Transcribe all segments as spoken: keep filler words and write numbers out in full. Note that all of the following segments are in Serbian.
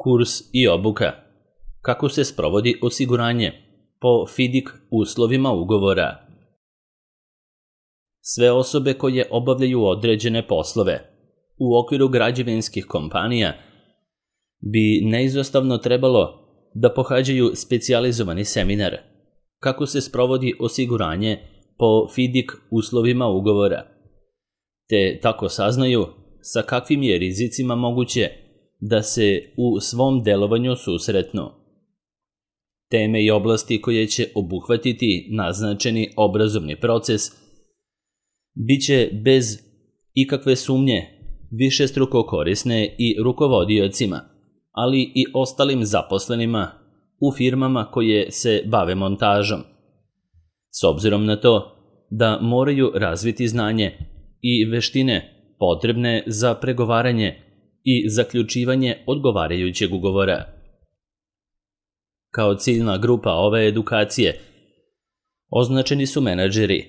Kurs i obuka. Kako se sprovodi osiguranje po FIDIC uslovima ugovora. Sve osobe koje obavljaju određene poslove u okviru građevinskih kompanija bi neizostavno trebalo da pohađaju specijalizovani seminar kako se sprovodi osiguranje po FIDIC uslovima ugovora, te tako saznaju sa kakvim je rizicima moguće da se u svom delovanju susretnu. Teme i oblasti koje će obuhvatiti naznačeni obrazovni proces biće bez ikakve sumnje višestruko korisne i rukovodiocima, ali i ostalim zaposlenima u firmama koje se bave montažom. S obzirom na to da moraju razviti znanje i veštine potrebne za pregovaranje i zaključivanje odgovarajućeg ugovora. Kao ciljna grupa ove edukacije označeni su menadžeri,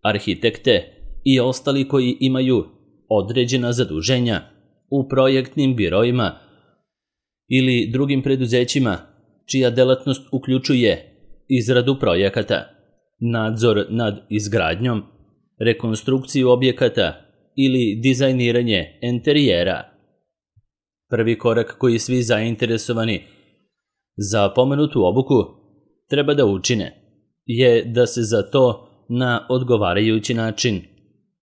arhitekte i ostali koji imaju određena zaduženja u projektnim biroima ili drugim preduzećima čija delatnost uključuje izradu projekata, nadzor nad izgradnjom, rekonstrukciju objekata ili dizajniranje enterijera. Prvi korak koji svi zainteresovani za pomenutu obuku treba da učine je da se za to na odgovarajući način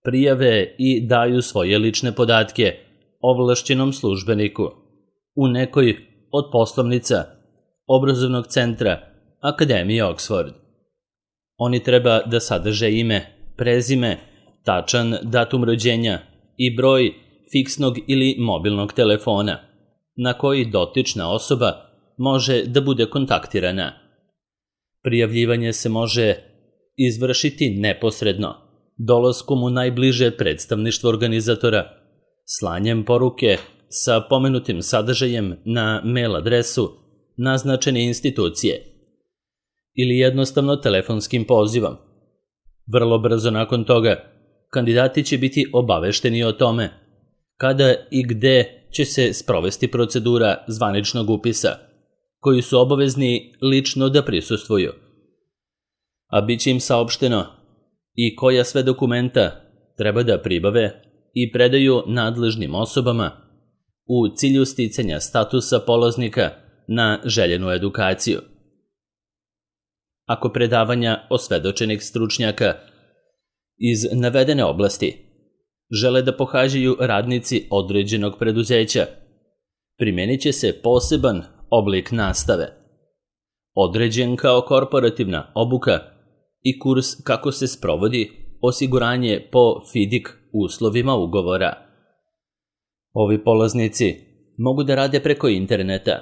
prijave i daju svoje lične podatke ovlašćenom službeniku u nekoj od poslovnica obrazovnog centra Akademije Oxford. Oni treba da sadrže ime, prezime, tačan datum rođenja i broj fiksnog ili mobilnog telefona na koji dotična osoba može da bude kontaktirana. Prijavljivanje se može izvršiti neposredno, dolaskom u najbliže predstavništvo organizatora, slanjem poruke sa pomenutim sadržajem na mail adresu naznačene institucije ili jednostavno telefonskim pozivom. Vrlo brzo nakon toga, kandidati će biti obavešteni o tome kada i gde će se sprovesti procedura zvaničnog upisa, koji su obavezni lično da prisustvuju, a bit će im saopšteno i koja sve dokumenta treba da pribave i predaju nadležnim osobama u cilju sticanja statusa polaznika na željenu edukaciju. Ako predavanja osvedočenih stručnjaka iz navedene oblasti žele da pohađaju radnici određenog preduzeća, primenit će se poseban oblik nastave, određen kao korporativna obuka i kurs kako se sprovodi osiguranje po FIDIC uslovima ugovora. Ovi polaznici mogu da rade preko interneta,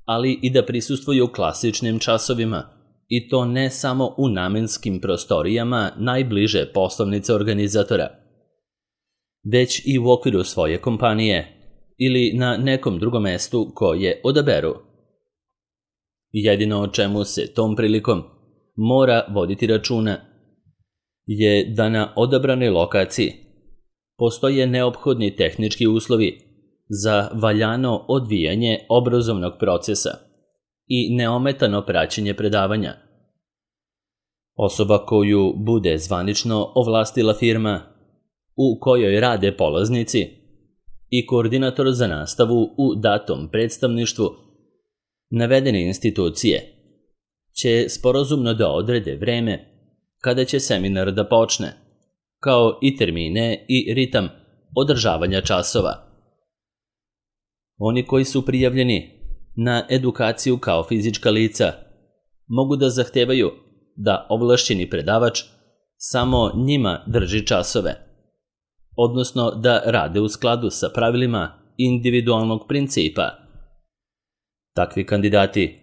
ali i da prisustvuju klasičnim časovima, i to ne samo u namenskim prostorijama najbliže poslovnice organizatora, već i u okviru svoje kompanije ili na nekom drugom mestu koje odaberu. Jedino o čemu se tom prilikom mora voditi računa je da na odabranoj lokaciji postoje neophodni tehnički uslovi za valjano odvijanje obrazovnog procesa i neometano praćenje predavanja. Osoba koju bude zvanično ovlastila firma u kojoj rade polaznici i koordinator za nastavu u datom predstavništvu navedene institucije će sporazumno da odrede vreme kada će seminar da počne, kao i termine i ritam održavanja časova. Oni koji su prijavljeni na edukaciju kao fizička lica mogu da zahtevaju da ovlašćeni predavač samo njima drži časove, odnosno da rade u skladu sa pravilima individualnog principa. Takvi kandidati,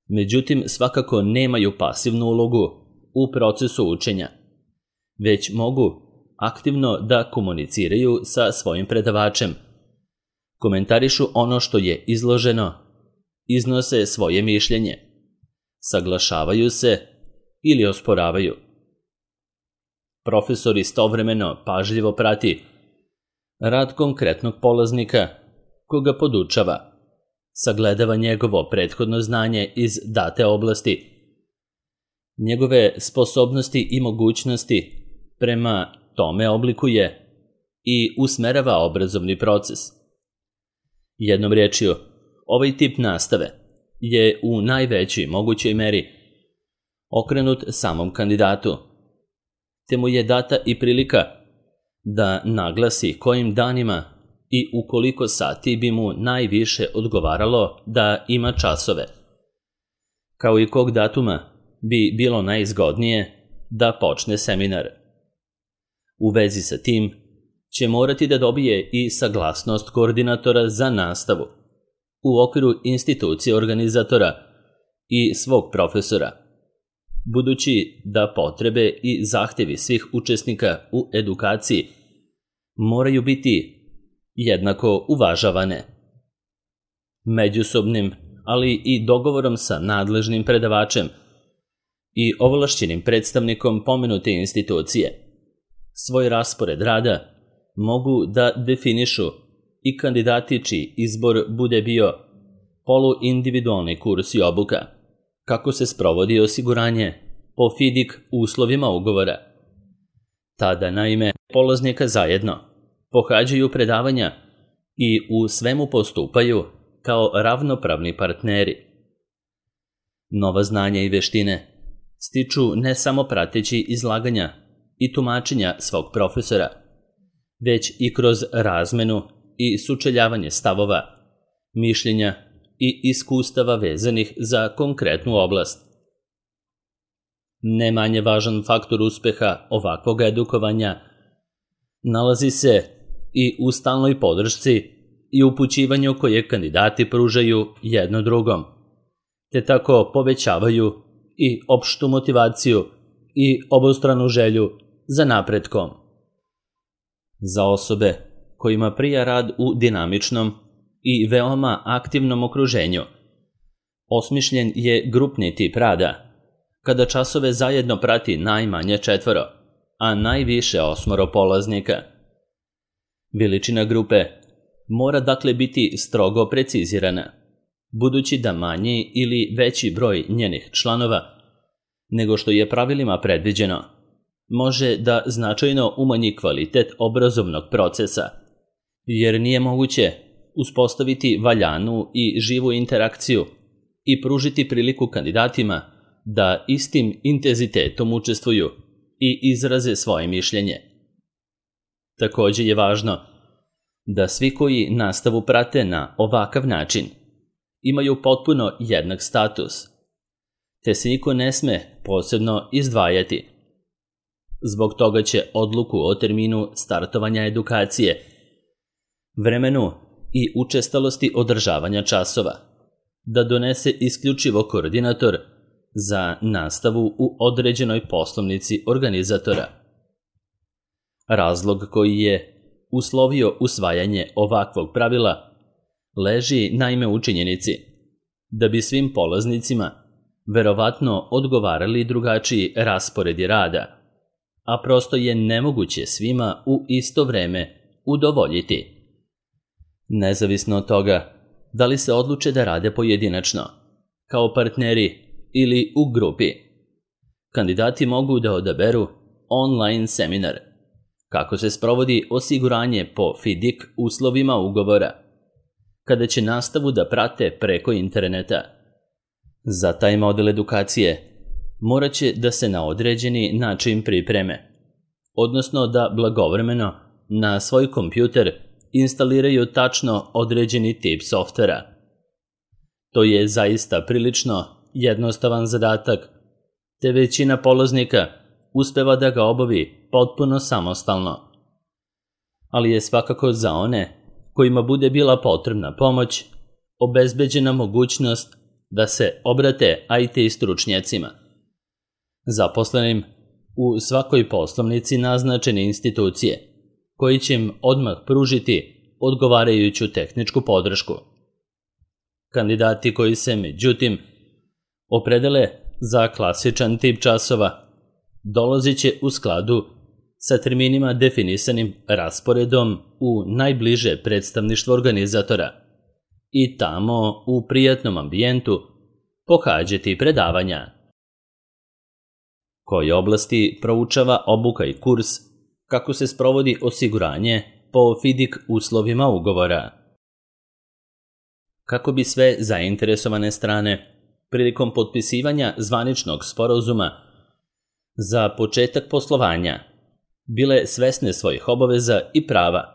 međutim, svakako nemaju pasivnu ulogu u procesu učenja, već mogu aktivno da komuniciraju sa svojim predavačem, komentarišu ono što je izloženo, iznose svoje mišljenje, saglašavaju se ili osporavaju. Profesor istovremeno pažljivo prati rad konkretnog polaznika koga podučava, sagledava njegovo prethodno znanje iz date oblasti, njegove sposobnosti i mogućnosti prema tome oblikuje i usmerava obrazovni proces. Jednom riječju, ovaj tip nastave je u najvećoj mogućoj meri okrenut samom kandidatu, te mu je data i prilika da naglasi kojim danima i u koliko sati bi mu najviše odgovaralo da ima časove, kao i kog datuma bi bilo najzgodnije da počne seminar. U vezi sa tim će morati da dobije i saglasnost koordinatora za nastavu u okviru institucije organizatora i svog profesora, budući da potrebe i zahtevi svih učesnika u edukaciji moraju biti jednako uvažavane. Međusobnim, ali i dogovorom sa nadležnim predavačem i ovlašćenim predstavnikom pomenute institucije, svoj raspored rada mogu da definišu i kandidati čiji izbor bude bio poluindividualni kurs i obuka, kako se sprovodi osiguranje po FIDIC uslovima ugovora. Tada, naime, polaznika zajedno pohađaju predavanja i u svemu postupaju kao ravnopravni partneri. Nova znanja i veštine stiču ne samo prateći izlaganja i tumačenja svog profesora, već i kroz razmenu i sučeljavanje stavova, mišljenja i iskustava vezanih za konkretnu oblast. Ne manje važan faktor uspeha ovakvog edukovanja nalazi se i u stalnoj podršci i upućivanju koje kandidati pružaju jedno drugom, te tako povećavaju i opštu motivaciju i obostranu želju za napretkom. Za osobe kojima prija rad u dinamičnom i veoma aktivnom okruženju, osmišljen je grupni tip rada, kada časove zajedno prati najmanje četvoro, a najviše osmoro polaznika. Veličina grupe mora dakle biti strogo precizirana, budući da manji ili veći broj njenih članova, nego što je pravilima predviđeno, može da značajno umanji kvalitet obrazovnog procesa, jer nije moguće uspostaviti valjanu i živu interakciju i pružiti priliku kandidatima da istim intenzitetom učestvuju i izraze svoje mišljenje. Takođe je važno da svi koji nastavu prate na ovakav način imaju potpuno jednak status, te se niko ne sme posebno izdvajati. Zbog toga će odluku o terminu startovanja edukacije, vremenu i učestalosti održavanja časova da donese isključivo koordinator za nastavu u određenoj poslovnici organizatora. Razlog koji je uslovio usvajanje ovakvog pravila leži naime u činjenici da bi svim polaznicima verovatno odgovarali drugačiji rasporedi rada, a prosto je nemoguće svima u isto vreme udovoljiti. Nezavisno od toga da li se odluče da rade pojedinačno, kao partneri ili u grupi, kandidati mogu da odaberu online seminar, kako se sprovodi osiguranje po FIDIC uslovima ugovora, kada će nastavu da prate preko interneta. Za taj model edukacije morat će da se na određeni način pripreme, odnosno da blagovremeno na svoj kompjuter instaliraju tačno određeni tip softvera. To je zaista prilično jednostavan zadatak, te većina polaznika uspeva da ga obavi potpuno samostalno. Ali je svakako za one kojima bude bila potrebna pomoć obezbeđena mogućnost da se obrate I T stručnjacima, zaposlenim u svakoj poslovnici naznačene institucije, koji će im odmah pružiti odgovarajuću tehničku podršku. Kandidati koji se, međutim, opredele za klasičan tip časova dolazit će u skladu sa terminima definisanim rasporedom u najbliže predstavništvo organizatora i tamo u prijatnom ambijentu pohađati predavanja. Koje oblasti proučava obuka i kurs kako se sprovodi osiguranje po FIDIC uslovima ugovora? Kako bi sve zainteresovane strane prilikom potpisivanja zvaničnog sporazuma za početak poslovanja bile svesne svojih obaveza i prava,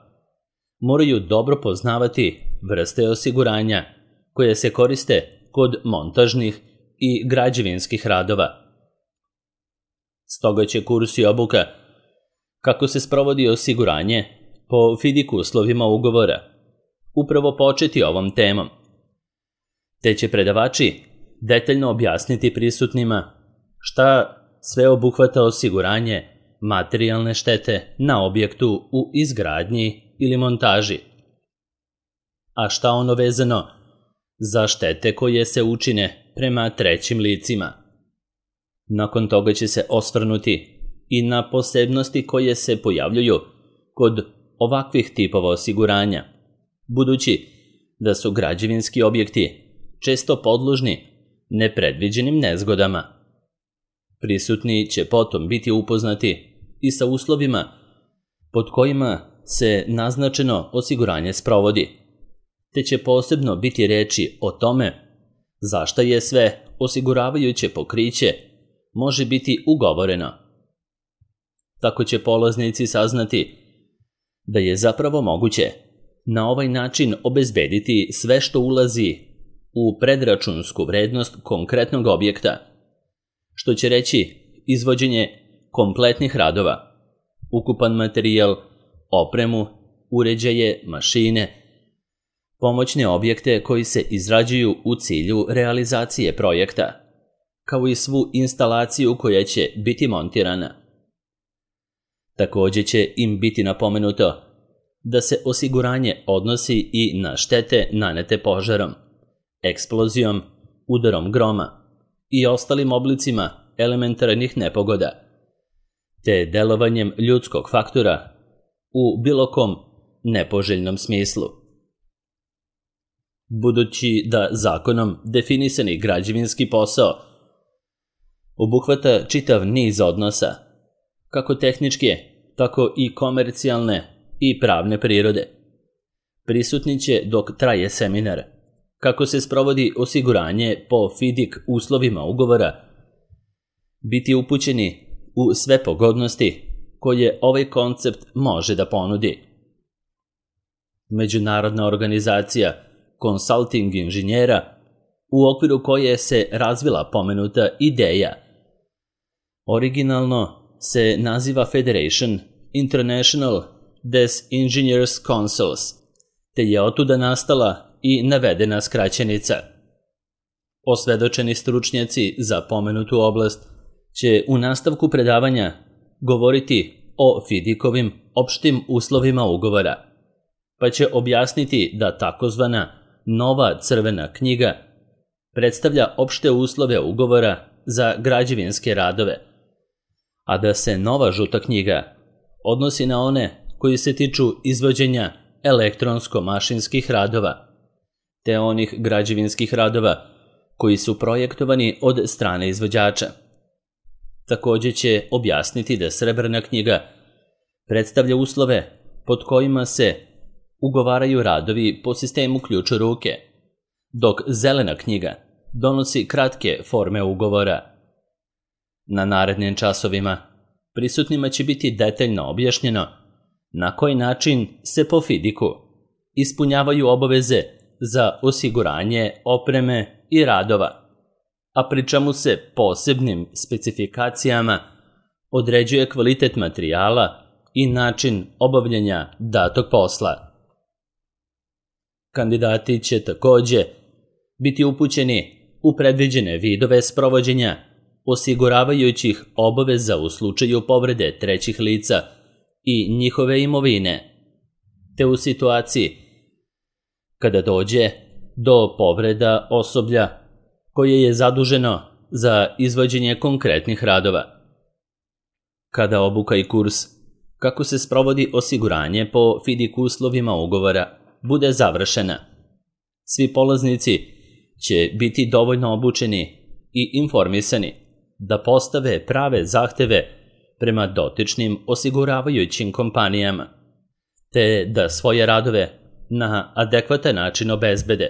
moraju dobro poznavati vrste osiguranja koje se koriste kod montažnih i građevinskih radova. Stoga će kurs i obuka kako se sprovodi osiguranje po FIDIC uslovima ugovora upravo početi ovom temom, te će predavači detaljno objasniti prisutnima šta sve obuhvata osiguranje materijalne štete na objektu u izgradnji ili montaži, a šta ono vezano za štete koje se učine prema trećim licima. Nakon toga će se osvrnuti i na posebnosti koje se pojavljuju kod ovakvih tipova osiguranja, budući da su građevinski objekti često podložni nepredviđenim nezgodama. Prisutni će potom biti upoznati i sa uslovima pod kojima se naznačeno osiguranje sprovodi, te će posebno biti reči o tome zašta je sve osiguravajuće pokriće može biti ugovoreno. Tako će polaznici saznati da je zapravo moguće na ovaj način obezbediti sve što ulazi u predračunsku vrednost konkretnog objekta, što će reći izvođenje kompletnih radova, ukupan materijal, opremu, uređaje, mašine, pomoćne objekte koji se izrađuju u cilju realizacije projekta, kao i svu instalaciju koja će biti montirana. Također će im biti napomenuto da se osiguranje odnosi i na štete nanete požarom, eksplozijom, udarom groma i ostalim oblicima elementarnih nepogoda, te delovanjem ljudskog faktora u bilo kom nepoželjnom smislu. Budući da zakonom definisani građevinski posao obuhvata čitav niz odnosa, kako tehničke, tako i komercijalne i pravne prirode, prisutni će dok traje seminar kako se sprovodi osiguranje po FIDIC uslovima ugovora biti upućeni u sve pogodnosti koje ovaj koncept može da ponudi. Međunarodna organizacija konsulting inženjera, u okviru koje se razvila pomenuta ideja, originalno se naziva Federation International des Engineers Councils, te je otuda nastala i navedena skraćenica. Osvedočeni stručnjaci za pomenutu oblast će u nastavku predavanja govoriti o FIDIC-ovim opštim uslovima ugovora, pa će objasniti da takozvana nova crvena knjiga predstavlja opšte uslove ugovora za građevinske radove, a da se nova žuta knjiga odnosi na one koji se tiču izvođenja elektronsko-mašinskih radova, te onih građevinskih radova koji su projektovani od strane izvođača. Također će objasniti da srebrna knjiga predstavlja uslove pod kojima se ugovaraju radovi po sistemu ključ u ruke, dok zelena knjiga donosi kratke forme ugovora. Na narednim časovima prisutnima će biti detaljno objašnjeno na koji način se po FIDIC-u ispunjavaju obaveze za osiguranje opreme i radova, a pri čemu se posebnim specifikacijama određuje kvalitet materijala i način obavljanja datog posla. Kandidati će također biti upućeni u predviđene vidove sprovođenja osiguravajućih obaveza u slučaju povrede trećih lica i njihove imovine, te u situaciji kada dođe do povreda osoblja koje je zaduženo za izvođenje konkretnih radova. Kada obuka i kurs kako se sprovodi osiguranje po FIDIC uslovima ugovora bude završena, Svi polaznici će biti dovoljno obučeni i informisani da postave prave zahteve prema dotičnim osiguravajućim kompanijama, te da svoje radove na adekvatan način obezbede.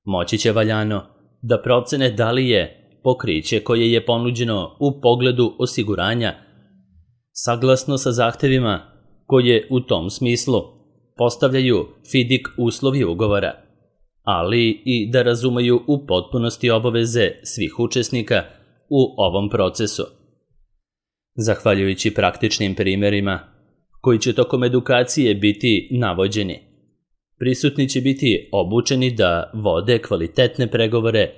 Moći će valjano da procene da li je pokriće koje je ponuđeno u pogledu osiguranja saglasno sa zahtevima koje u tom smislu postavljaju fidik uslovi ugovora, ali i da razumeju u potpunosti obaveze svih učesnika u ovom procesu. Zahvaljujući praktičnim primjerima koji će tokom edukacije biti navođeni, prisutni će biti obučeni da vode kvalitetne pregovore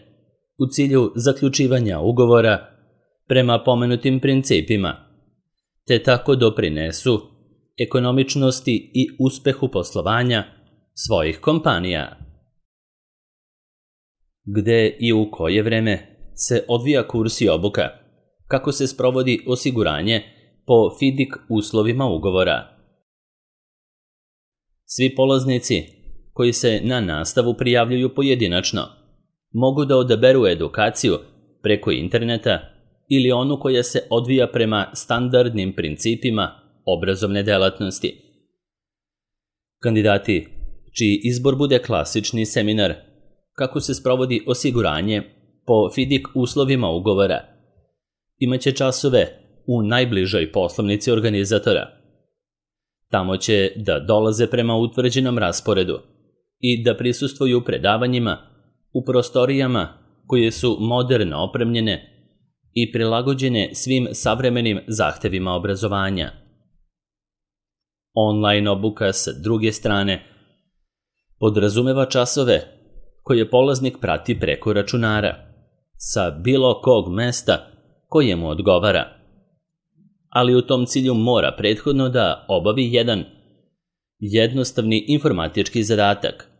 u cilju zaključivanja ugovora prema pomenutim principima, te tako doprinesu ekonomičnosti i uspehu poslovanja svojih kompanija. Gde i u koje vreme se odvija kurs i obuka, kako se sprovodi osiguranje po fidik uslovima ugovora. Svi polaznici koji se na nastavu prijavljuju pojedinačno mogu da odaberu edukaciju preko interneta ili onu koja se odvija prema standardnim principima obrazovne delatnosti. Kandidati čiji izbor bude klasični seminar kako se sprovodi osiguranje po fidik uslovima ugovora imaće časove u najbližoj poslovnici organizatora. Tamo će da dolaze prema utvrđenom rasporedu i da prisustvuju predavanjima u prostorijama koje su moderno opremljene i prilagođene svim savremenim zahtevima obrazovanja. Online obuka sa druge strane podrazumeva časove koje polaznik prati preko računara sa bilo kog mesta koje mu odgovara, ali u tom cilju mora prethodno da obavi jedan jednostavni informatički zadatak.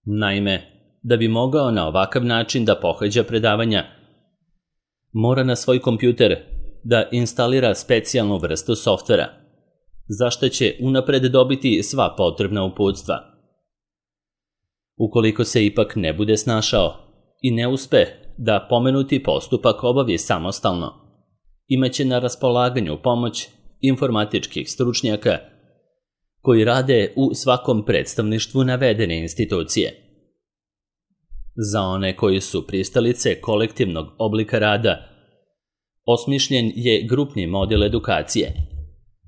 Naime, da bi mogao na ovakav način da pohađa predavanja, mora na svoj kompjuter da instalira specijalnu vrstu softvera, za što će unapred dobiti sva potrebna uputstva. Ukoliko se ipak ne bude snašao i ne uspe da pomenuti postupak obavi samostalno, imaće na raspolaganju pomoć informatičkih stručnjaka koji rade u svakom predstavništvu navedene institucije. Za one koji su pristalice kolektivnog oblika rada, osmišljen je grupni model edukacije,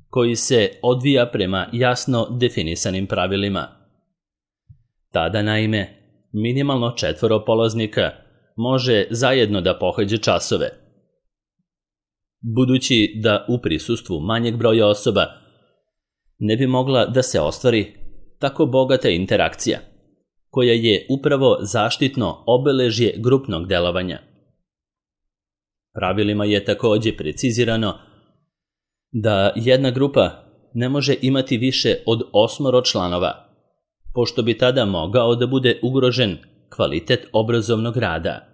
koji se odvija prema jasno definisanim pravilima. Tada, naime, minimalno četvoro polaznika može zajedno da pohađe časove. Budući da u prisustvu manjeg broja osoba ne bi mogla da se ostvari tako bogata interakcija, koja je upravo zaštitno obeležje grupnog delovanja. Pravilima je takođe precizirano da jedna grupa ne može imati više od osmoro članova, pošto bi tada mogao da bude ugrožen kvalitet obrazovnog rada.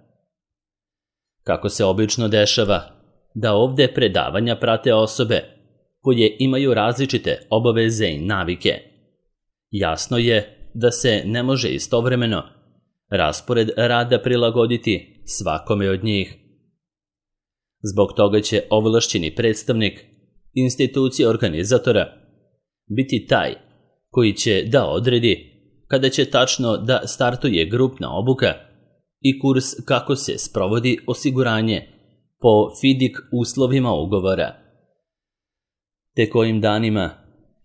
Kako se obično dešava da ovde predavanja prate osobe koje imaju različite obaveze i navike, jasno je da se ne može istovremeno raspored rada prilagoditi svakome od njih. Zbog toga će ovlašćeni predstavnik institucije organizatora biti taj koji će da odredi kada će tačno da startuje grupna obuka i kurs kako se sprovodi osiguranje po fidik uslovima ugovora, te kojim danima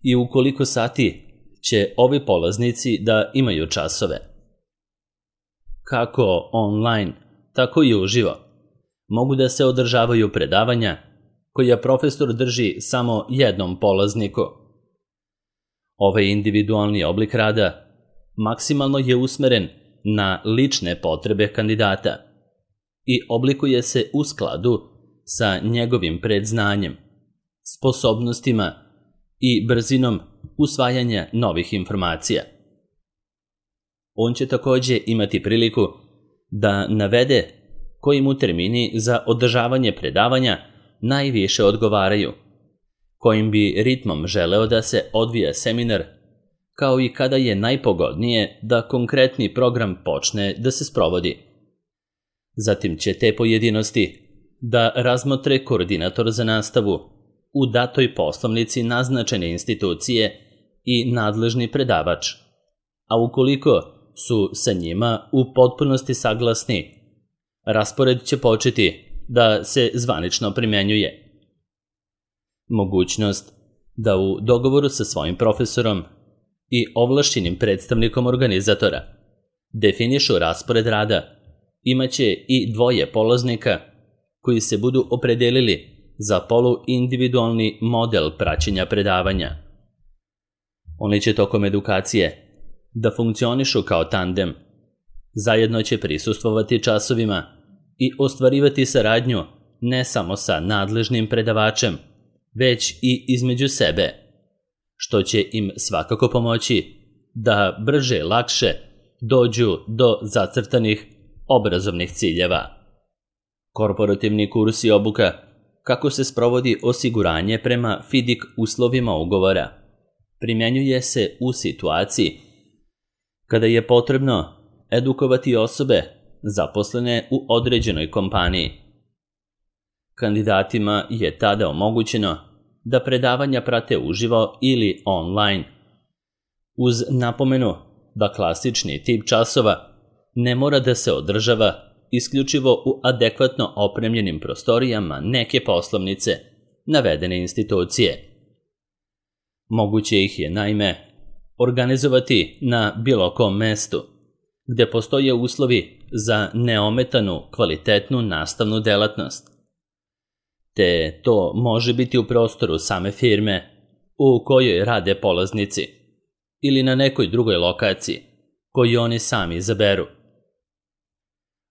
i u koliko sati će ovi polaznici da imaju časove. Kako online, tako i uživo mogu da se održavaju predavanja koja profesor drži samo jednom polazniku. Ovaj individualni oblik rada maksimalno je usmeren na lične potrebe kandidata i oblikuje se u skladu sa njegovim predznanjem, sposobnostima i brzinom usvajanja novih informacija. On će takođe imati priliku da navede koji mu termini za održavanje predavanja najviše odgovaraju, kojim bi ritmom želeo da se odvija seminar kao i kada je najpogodnije da konkretni program počne da se sprovodi. Zatim će te pojedinosti da razmotre koordinator za nastavu u datoj poslovnici naznačene institucije i nadležni predavač, a ukoliko su sa njima u potpunosti saglasni, raspored će početi da se zvanično primenjuje. Mogućnost da u dogovoru sa svojim profesorom i ovlašćenim predstavnikom organizatora definišu raspored rada imaće i dvoje polaznika koji se budu opredelili za poluindividualni model praćenja predavanja. Oni će tokom edukacije da funkcionišu kao tandem, zajedno će prisustvovati časovima i ostvarivati saradnju ne samo sa nadležnim predavačem, već i između sebe, što će im svakako pomoći da brže, lakše dođu do zacrtanih obrazovnih ciljeva. Korporativni kurs i obuka kako se sprovodi osiguranje prema FIDIC uslovima ugovora primjenjuje se u situaciji kada je potrebno edukovati osobe zaposlene u određenoj kompaniji. Kandidatima je tada omogućeno da predavanja prate uživo ili online, uz napomenu da klasični tip časova ne mora da se održava isključivo u adekvatno opremljenim prostorijama neke poslovnice navedene institucije. Moguće ih je, naime, organizovati na bilo kom mestu, gde postoje uslovi za neometanu, kvalitetnu nastavnu delatnost. Te to može biti u prostoru same firme u kojoj rade polaznici ili na nekoj drugoj lokaciji koju oni sami izaberu.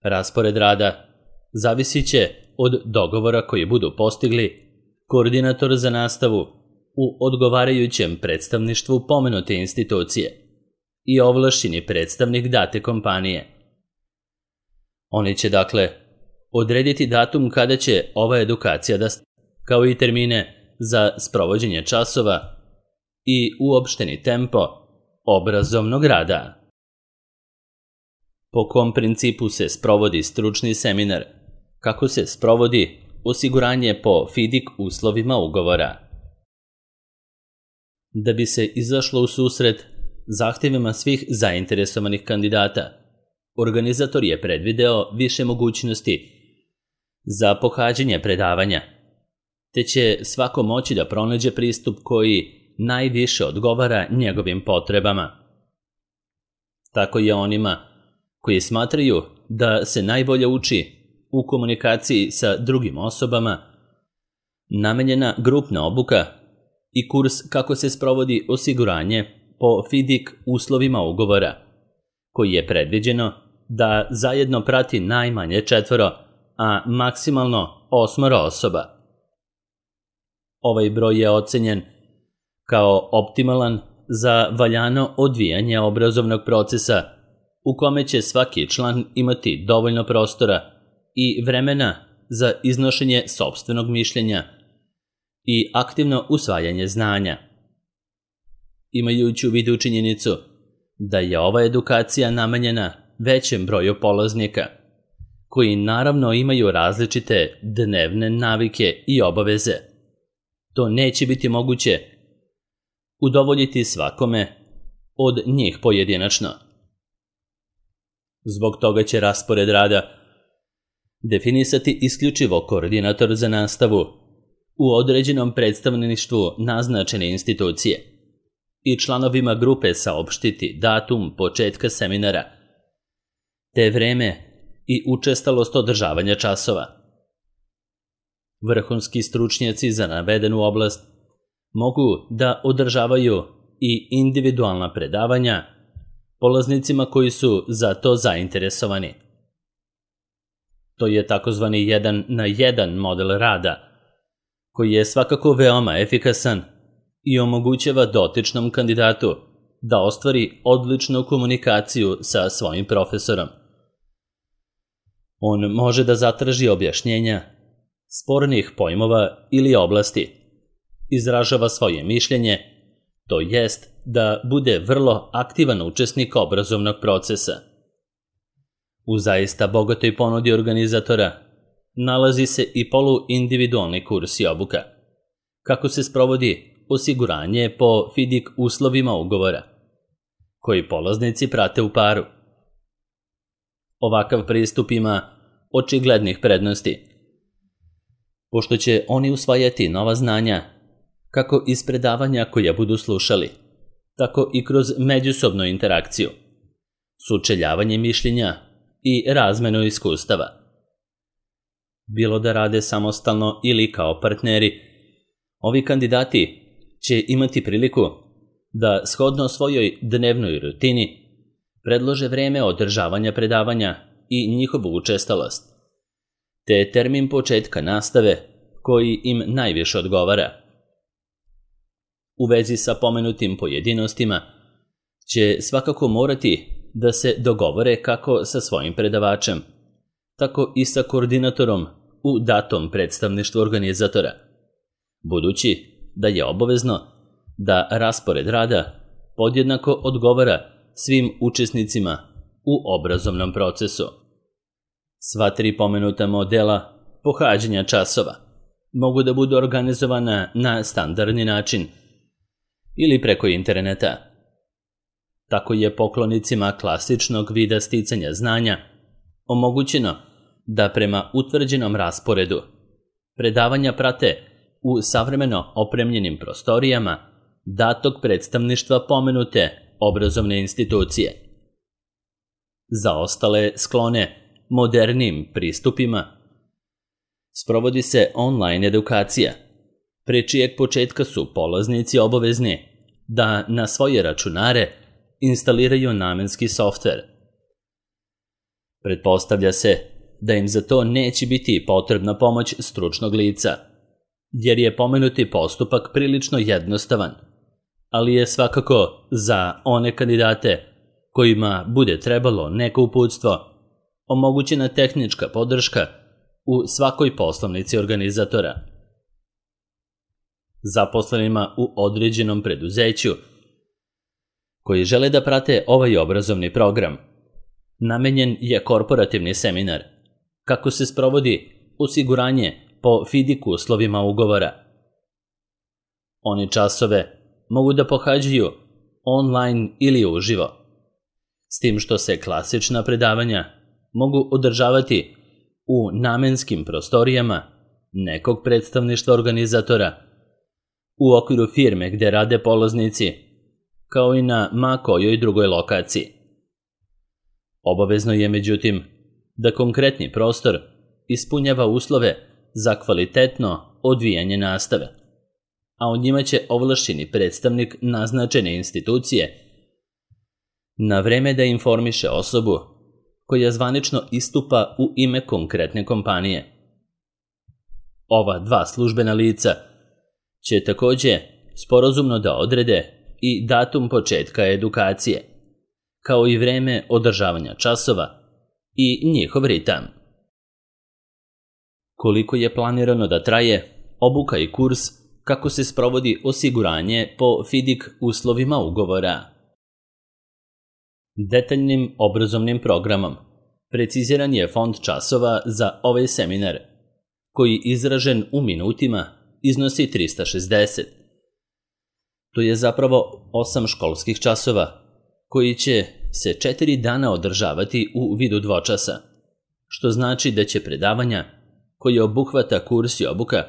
Raspored rada zavisit će od dogovora koji budu postigli koordinator za nastavu u odgovarajućem predstavništvu pomenute institucije i ovlašćeni predstavnik date kompanije. Oni će, dakle, odrediti datum kada će ova edukacija da stane, kao i termine za sprovođenje časova i uopšteni tempo obrazovnog rada. Po kom principu se sprovodi stručni seminar, kako se sprovodi osiguranje po FIDIC uslovima ugovora. Da bi se izašlo u susret zahtjevima svih zainteresovanih kandidata, organizator je predvideo više mogućnosti za pohađanje predavanja, te će svako moći da pronađe pristup koji najviše odgovara njegovim potrebama. Tako je onima koji smatraju da se najbolje uči u komunikaciji sa drugim osobama namenjena grupna obuka i kurs kako se sprovodi osiguranje po FIDIC uslovima ugovora, koji je predviđeno da zajedno prati najmanje četvoro, a maksimalno osmoro osoba. Ovaj broj je ocenjen kao optimalan za valjano odvijanje obrazovnog procesa u kome će svaki član imati dovoljno prostora i vremena za iznošenje sopstvenog mišljenja i aktivno usvajanje znanja. Imajući u vidu činjenicu da je ova edukacija namenjena većem broju polaznika, koji naravno imaju različite dnevne navike i obaveze, to neće biti moguće udovoljiti svakome od njih pojedinačno. Zbog toga će raspored rada definisati isključivo koordinator za nastavu u određenom predstavništvu naznačene institucije i članovima grupe saopštiti datum početka seminara, te vreme i učestalost održavanja časova. Vrhunski stručnjaci za navedenu oblast mogu da održavaju i individualna predavanja polaznicima koji su za to zainteresovani. To je takozvani jedan na jedan model rada, koji je svakako veoma efikasan i omogućava dotičnom kandidatu da ostvari odličnu komunikaciju sa svojim profesorom. On može da zatraži objašnjenja spornih pojmova ili oblasti, izražava svoje mišljenje to jest da bude vrlo aktivan učesnik obrazovnog procesa. U zaista bogatoj ponudi organizatora nalazi se i poluindividualni kurs i obuka, kako se sprovodi osiguranje po FIDIC uslovima ugovora, koji polaznici prate u paru. Ovakav pristup ima očiglednih prednosti, pošto će oni usvajati nova znanja, kako iz predavanja koja budu slušali, tako i kroz međusobnu interakciju, sučeljavanje mišljenja i razmenu iskustava. Bilo da rade samostalno ili kao partneri, ovi kandidati će imati priliku da shodno svojoj dnevnoj rutini predlože vreme održavanja predavanja i njihovu učestalost, te termin početka nastave koji im najviše odgovara. U vezi sa pomenutim pojedinostima će svakako morati da se dogovore kako sa svojim predavačem, tako i sa koordinatorom u datom predstavništvu organizatora, budući da je obavezno da raspored rada podjednako odgovara svim učesnicima u obrazovnom procesu. Sva tri pomenuta modela pohađanja časova mogu da budu organizovana na standardni način ili preko interneta. Tako je poklonicima klasičnog vida sticanja znanja omogućeno da prema utvrđenom rasporedu predavanja prate u savremeno opremljenim prostorijama datog predstavništva pomenute obrazovne institucije. Za ostale sklone modernim pristupima sprovodi se online edukacija, pre čijeg početka su polaznici obavezni da na svoje računare instaliraju namenski softver. Pretpostavlja se da im za to neće biti potrebna pomoć stručnog lica, jer je pomenuti postupak prilično jednostavan, ali je svakako za one kandidate kojima bude trebalo neko uputstvo omogućena tehnička podrška u svakoj poslovnici organizatora. Zaposlenima u određenom preduzeću koji žele da prate ovaj obrazovni program, namenjen je korporativni seminar, kako se sprovodi osiguranje po FIDIC uslovima ugovora. Oni časove mogu da pohađaju online ili uživo, s tim što se klasična predavanja mogu održavati u namenskim prostorijama nekog predstavništva organizatora u okviru firme gde rade polaznici, kao i na ma kojoj drugoj lokaciji. Obavezno je, međutim, da konkretni prostor ispunjava uslove za kvalitetno odvijanje nastave, a o njima će ovlašćeni predstavnik naznačene institucije na vreme da informiše osobu koja zvanično istupa u ime konkretne kompanije. Ova dva službena lica će takođe sporazumno da odrede i datum početka edukacije, kao i vreme održavanja časova i njihov ritam. Koliko je planirano da traje obuka i kurs, kako se sprovodi osiguranje po FIDIC uslovima ugovora. Detaljnim obrazovnim programom preciziran je fond časova za ovaj seminar, koji izražen u minutima iznosi trista šezdeset. To je zapravo osam školskih časova, koji će se četiri dana održavati u vidu dvočasa, što znači da će predavanja koje obuhvata kurs i obuka,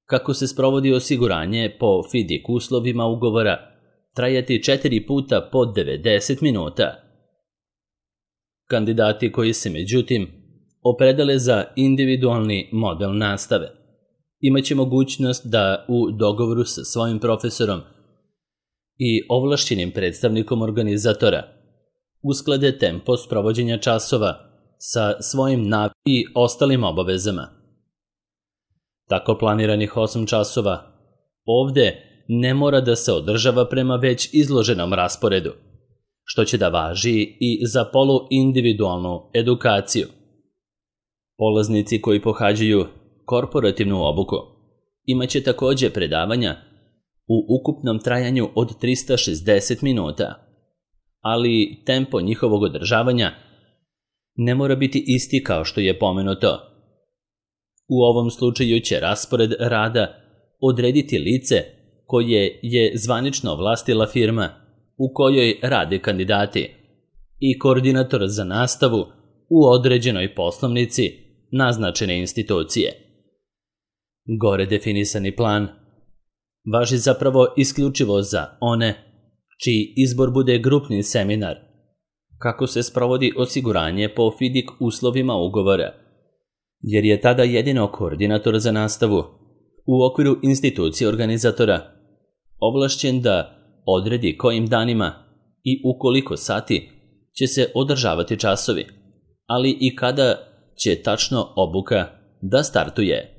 kako se sprovodi osiguranje po FIDIC uslovima ugovora, trajati četiri puta po devedeset minuta. Kandidati koji se, međutim, opredele za individualni model nastave imaće mogućnost da u dogovoru sa svojim profesorom i ovlašćenim predstavnikom organizatora usklade tempo sprovođenja časova sa svojim navikama i ostalim obavezama. Tako planiranih osam časova ovde ne mora da se održava prema već izloženom rasporedu, što će da važi i za poluindividualnu edukaciju. Polaznici koji pohađaju korporativnu obuku imaće takođe predavanja u ukupnom trajanju od trista šezdeset minuta, ali tempo njihovog održavanja ne mora biti isti kao što je pomenuto. U ovom slučaju će raspored rada odrediti lice koje je zvanično vlastila firma u kojoj rade kandidati i koordinator za nastavu u određenoj poslovnici naznačene institucije. Gore definisani plan važi zapravo isključivo za one čiji izbor bude grupni seminar, kako se sprovodi osiguranje po fidik uslovima ugovora, jer je tada jedino koordinator za nastavu u okviru institucije organizatora ovlašćen da odredi kojim danima i u koliko sati će se održavati časovi, ali i kada će tačno obuka da startuje.